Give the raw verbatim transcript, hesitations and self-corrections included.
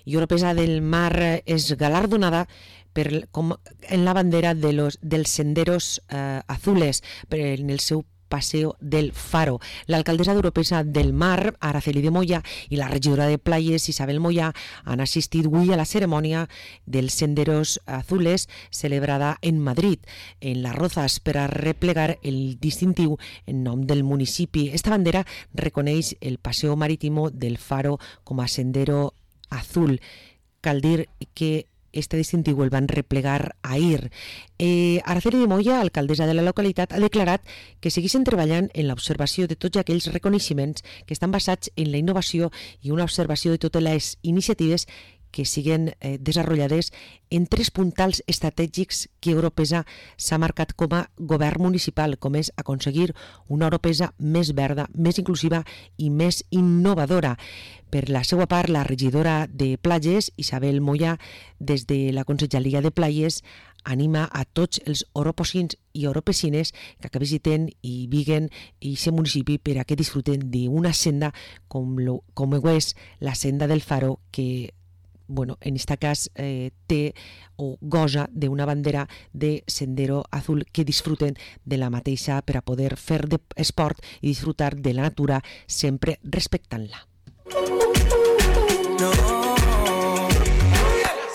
I Oropesa del Mar és galardonada per, com, en la bandera de los, dels senderos eh, azules per, en el seu Paseo del Faro. L'alcaldessa d'Oropesa del Mar, Araceli de Moya, i la regidora de Playes, Isabel Moya, han assistit avui a la cerimònia dels Senderos Azules celebrada en Madrid, en Las Rozas, per a replegar el distintiu en nom del municipi. Esta bandera reconeix el Paseo Marítimo del Faro com a Sendero Azul. Cal dir que este distintiu el van replegar ahir. Eh, Araceli de Moya, alcaldessa de la localitat, ha declarat que segueixen treballant en l'observació de tots aquells reconeixements que estan basats en la innovació i una observació de totes les iniciatives que siguen eh, desenvolupades en tres puntals estratègics que Oropesa s'ha marcat com a govern municipal, com és aconseguir una Oropesa més verda, més inclusiva i més innovadora. Per la seva part, la regidora de Platges, Isabel Moya, des de la Conselleria de Playes, anima a tots els oropocins i oropesines que, que visiten i viguen aquest municipi per a que disfruten d'una senda com, lo, com ho és la senda del Faro, que bueno, en este cas eh, té o goza d'una bandera de Sendero Azul, que disfruten de la mateixa per a poder fer de esport i disfrutar de la natura sempre respectant-la.